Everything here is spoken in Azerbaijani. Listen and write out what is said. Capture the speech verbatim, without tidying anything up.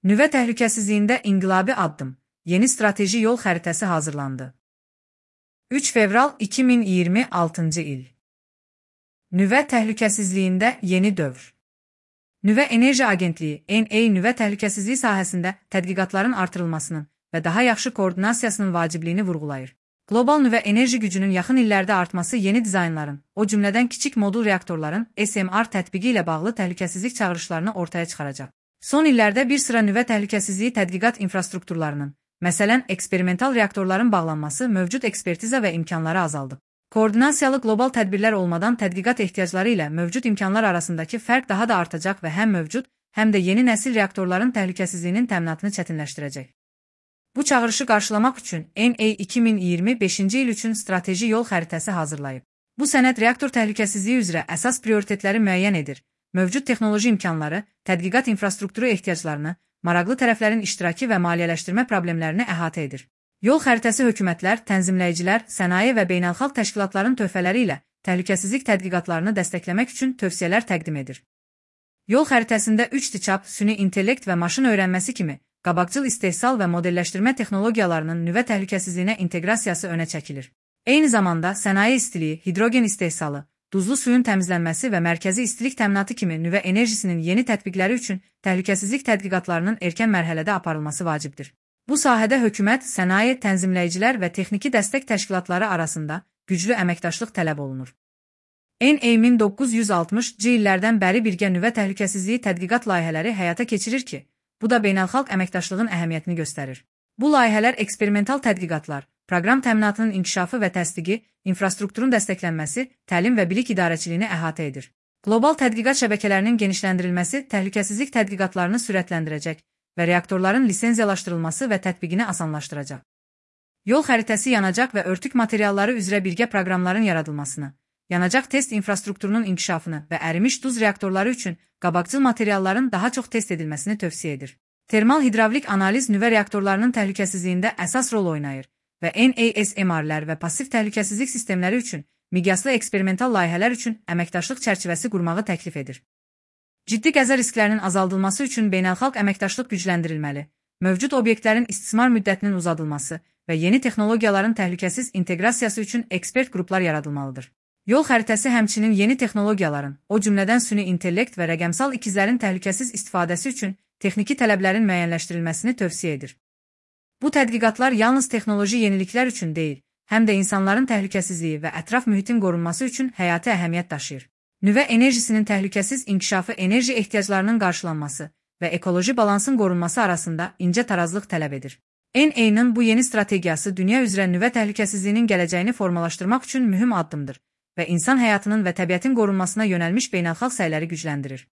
Nüvə təhlükəsizliyində inqilabi addım, yeni strateji yol xəritəsi hazırlandı. üç fevral iki min iyirmi altıncı il. Nüvə təhlükəsizliyində yeni dövr. Nüvə Enerji Agentliyi N A nüvə təhlükəsizliyi sahəsində tədqiqatların artırılmasının və daha yaxşı koordinasiyasının vacibliyini vurğulayır. Qlobal nüvə enerji gücünün yaxın illərdə artması yeni dizaynların, o cümlədən kiçik modul reaktorların S M R tətbiqi ilə bağlı təhlükəsizlik çağırışlarını ortaya çıxaracaq. Son illərdə bir sıra nüvə təhlükəsizliyi tədqiqat infrastrukturlarının, məsələn, eksperimental reaktorların bağlanması mövcud ekspertiza və imkanları azaldıb. Koordinasiyalı qlobal tədbirlər olmadan tədqiqat ehtiyacları ilə mövcud imkanlar arasındakı fərq daha da artacaq və həm mövcud, həm də yeni nəsil reaktorların təhlükəsizliyinin təminatını çətinləşdirəcək. Bu çağırışı qarşılamaq üçün N A iki min iyirmi beşinci il üçün strateji yol xəritəsi hazırlayıb. Bu sənəd reaktor təhlükəsizliyi üzrə əsas prioritetləri müəyyən edir, mövcud texnoloji imkanları, tədqiqat infrastrukturu ehtiyaclarını, maraqlı tərəflərin iştirakı və maliyyələşdirmə problemlərini əhatə edir. Yol xəritəsi hökumətlər, tənzimləyicilər, sənaye və beynəlxalq təşkilatların töhfələri ilə təhlükəsizlik tədqiqatlarını dəstəkləmək üçün tövsiyələr təqdim edir. Yol xəritəsində üç D çap, süni intellekt və maşın öyrənməsi kimi qabaqcıl istehsal və modelləşdirmə texnologiyalarının nüvə təhlükəsizliyinə inteqrasiyası önə çəkilir. Eyni zamanda sənaye istiliyi, hidrogen istehsalı, duzlu suyun təmizlənməsi və mərkəzi istilik təminatı kimi nüvə enerjisinin yeni tətbiqləri üçün təhlükəsizlik tədqiqatlarının erkən mərhələdə aparılması vacibdir. Bu sahədə hökumət, sənaye, tənzimləyicilər və texniki dəstək təşkilatları arasında güclü əməkdaşlıq tələb olunur. N A min doqquz yüz altmışıncı illərdən bəri birgə nüvə təhlükəsizliyi tədqiqat layihələri həyata keçirir ki, bu da beynəlxalq əməkdaşlığın əhəmiyyətini göstərir. Bu layihələr eksperimental tədqiqatlar, proqram təminatının inkişafı və təsdiqi, infrastrukturun dəstəklənməsi, təlim və bilik idarəçiliyini əhatə edir. Qlobal tədqiqat şəbəkələrinin genişləndirilməsi təhlükəsizlik tədqiqatlarını sürətləndirəcək və reaktorların lisenziyalaşdırılması və tətbiqini asanlaşdıracaq. Yol xəritəsi yanacaq və örtük materialları üzrə birgə proqramların yaradılmasını, yanacaq test infrastrukturunun inkişafını və ərimiş duz reaktorları üçün qabaqcıl materialların daha çox test edilməsini tövsiyə edir. Termal hidravlik analiz nüvə reaktorlarının təhlükəsizliyində əsas rol oynayır və N A S M R-lər və pasiv təhlükəsizlik sistemləri üçün miqyaslı eksperimental layihələr üçün əməkdaşlıq çərçivəsi qurmağı təklif edir. Ciddi qəza risklərinin azaldılması üçün beynəlxalq əməkdaşlıq gücləndirilməli, mövcud obyektlərin istismar müddətinin uzadılması və yeni texnologiyaların təhlükəsiz inteqrasiyası üçün ekspert qruplar yaradılmalıdır. Yol xəritəsi həmçinin yeni texnologiyaların, o cümlədən süni intellekt və rəqəmsal ikizlərin təhlükəsiz istifadəsi üçün texniki tələblərin müəyyənləşdirilməsini tövsiyə edir. Bu tədqiqatlar yalnız texnoloji yeniliklər üçün deyil, həm də insanların təhlükəsizliyi və ətraf mühitin qorunması üçün həyati əhəmiyyət daşıyır. Nüvə enerjisinin təhlükəsiz inkişafı enerji ehtiyaclarının qarşılanması və ekoloji balansın qorunması arasında incə tarazlıq tələb edir. N A-nın bu yeni strategiyası dünya üzrə nüvə təhlükəsizliyinin gələcəyini formalaşdırmaq üçün mühüm addımdır və insan həyatının və təbiətin qorunmasına yönəlmiş beynəlxalq səyləri gücləndirir.